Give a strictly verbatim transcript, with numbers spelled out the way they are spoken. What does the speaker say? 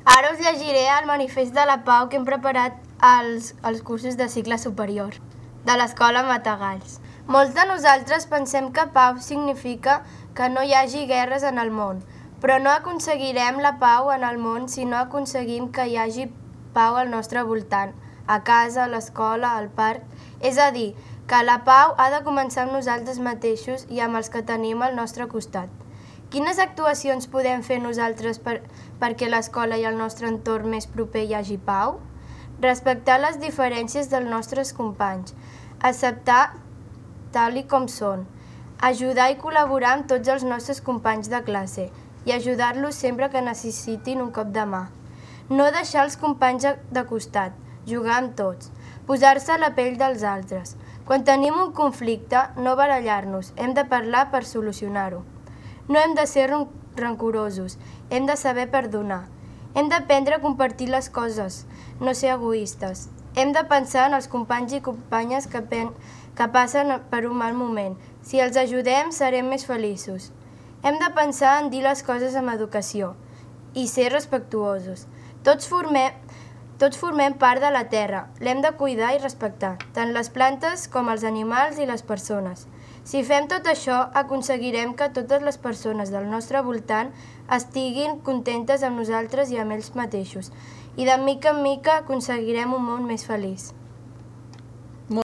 Ara us llegiré el manifest de la pau que hem preparat als, als cursos de cicle superior de l'Escola Matagalls. Molts de nosaltres pensem que pau significa que no hi hagi guerres en el món, però no aconseguirem la pau en el món si no aconseguim que hi hagi pau al nostre voltant, a casa, a l'escola, al parc. És a dir, que la pau ha de començar amb nosaltres mateixos i amb els que tenim al nostre costat. Quines actuacions podem fer nosaltres per, perquè a l'escola i al nostre entorn més proper hi hagi pau? Respectar les diferències dels nostres companys, acceptar tal i com són, ajudar i col·laborar amb tots els nostres companys de classe i ajudar-los sempre que necessitin un cop de mà. No deixar els companys de costat, jugar amb tots, posar-se a la pell dels altres. Quan tenim un conflicte, no barallar-nos, hem de parlar per solucionar-ho. No hem de ser rancorosos, hem de saber perdonar. Hem d'aprendre a compartir les coses, no ser egoistes. Hem de pensar en els companys i companyes que, pen, que passen per un mal moment. Si els ajudem, serem més feliços. Hem de pensar en dir les coses amb educació i ser respectuosos. Tots formem, tots formem part de la terra, l'hem de cuidar i respectar, tant les plantes com els animals i les persones. Si fem tot això, aconseguirem que totes les persones del nostre voltant estiguin contentes amb nosaltres i amb ells mateixos, i de mica en mica aconseguirem un món més feliç.